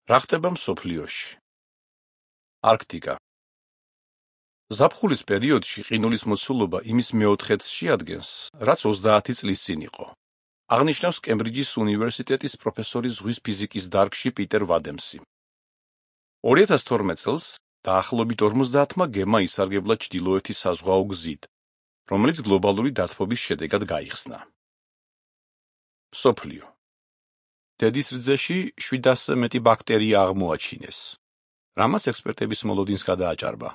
რა ხდება მსოფლიოში? არქტიკა. ზაფხულის პერიოდში ყინულის მოცულობა იმის მეოთხედს შეადგენს, რაც 30 წლის წინ იყო. აღნიშნავს კემბრიჯის უნივერსიტეტის პროფესორი ზღვის ფიზიკის დარგში პიტერ ვადემსი. 2012 წელს დაახლოებით 50-მა გემმა ისარგებლა ჩრდილოეთის საზღვაო გზით, რომელიც გლობალური დათბობის შედეგად გაიხსნა. მსოფლიო. დედის რძეში 700-ზე მეტი ბაქტერია აღმოაჩინეს, რამაც ექსპერტების მოლოდინს გადააჭარბა.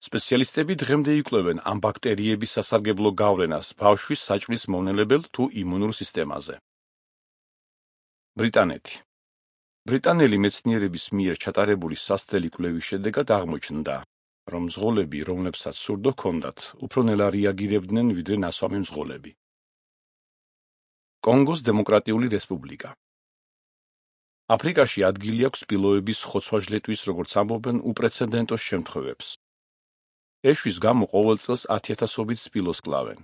სპეციალისტები დღემდე იკვლევენ ამ ბაქტერიების სასარგებლო გავლენას ბავშვის საჭმლის მომნელებელ თუ იმუნურ სისტემაზე. ბრიტანეთი. ბრიტანელი მეცნიერების მიერ ჩატარებული სასწრელი კვლევის შედეგად აღმოჩნდა, რომ მძღოლები, რომლებსაც სურდო ჰქონდათ, უფრო ნელა რეაგირებდნენ ვიდრე ნასვამი მძღოლები. კონგოს დემოკრატიული რესპუბლიკა. აფრიკაში ადგილი აქვს სპილოების ხოცვა-ჟლეტვის, როგორც ამბობენ, უპრეცედენტო შემთხვევებს. ეშვის გამო ყოველ წელს 10,000-ობით სპილოს კლავენ.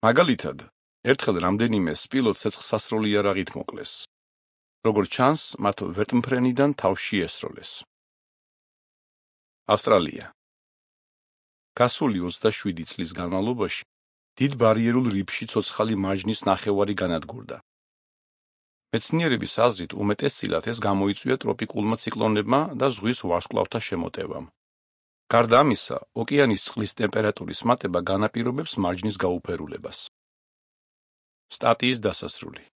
მაგალითად, ერთხელ რამდენიმე სპილო ცეცხლსასროლი იარაღით მოკლეს. როგორც ჩანს, მათ ვერტმფრენიდან თავში ესროლეს. ავსტრალია. გასული 27 წლის განმავლობაში დიდ ბარიერულ რიფში ცოცხალი მარჯნის ნახევარი განადგურდა. მეცნიერების აზრით უმეტესწილად ეს გამოიწვია ტროპიკულმა ციკლონებმა და ზღვის ვარსკვლავთა შემოტევამ. გარდა ამისა, ოკეანის წყლის ტემპერატურის მატება განაპირობებს მარჯნის გაუფერულებას. სტატიის დასასრული.